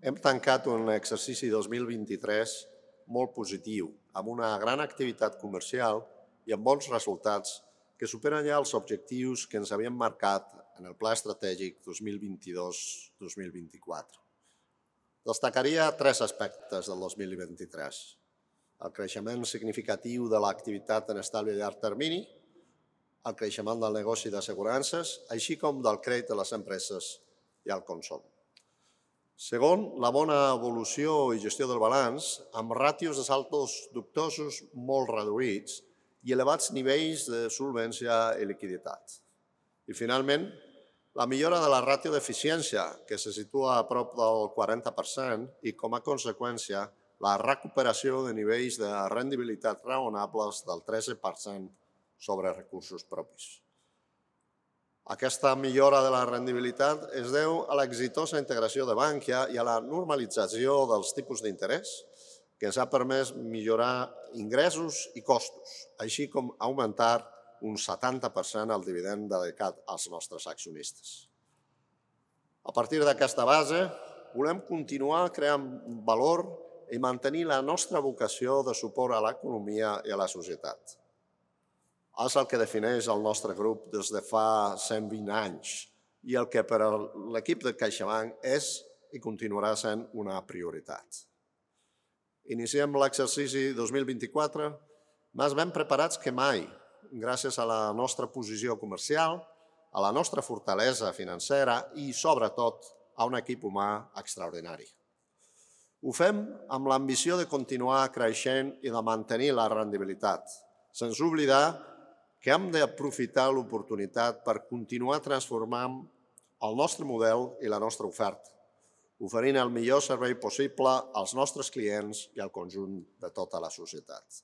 Hem tancat un exercici 2023 molt positiu, amb una gran activitat comercial i amb bons resultats que superen ja els objectius que ens havíem marcat en el Pla Estratègic 2022-2024. Destacaria tres aspectes del 2023. El creixement significatiu de l'activitat en estalvi de llarg termini, el creixement del negoci d'assegurances, així com del crèdit de les empreses i el consum. Segon, la bona evolució i gestió del balanç, amb ràtios de saldos dubtosos molt reduïts i elevats nivells de solvència i liquiditat. I finalment, la millora de la ràtio d'eficiència, que se situa a prop del 40%, i com a conseqüència, la recuperació de nivells de rendibilitat raonables del 13% sobre recursos propis. Aquesta millora de la rendibilitat es deu a l'exitosa integració de Bankia i a la normalització dels tipus d'interès, que ens ha permès millorar ingressos i costos, així com augmentar un 70% el dividend dedicat als nostres accionistes. A partir d'aquesta base, volem continuar creant valor i mantenir la nostra vocació de suport a l'economia i a la societat. És el que defineix el nostre grup des de fa 120 anys i el que per a l'equip de CaixaBank és i continuarà sent una prioritat. Iniciem l'exercici 2024 més ben preparats que mai, gràcies a la nostra posició comercial, a la nostra fortalesa financera i, sobretot, a un equip humà extraordinari. Ho fem amb l'ambició de continuar creixent i de mantenir la rendibilitat, sense oblidar que hem d'aprofitar l'oportunitat per continuar transformant el nostre model i la nostra oferta, oferint el millor servei possible als nostres clients i al conjunt de tota la societat.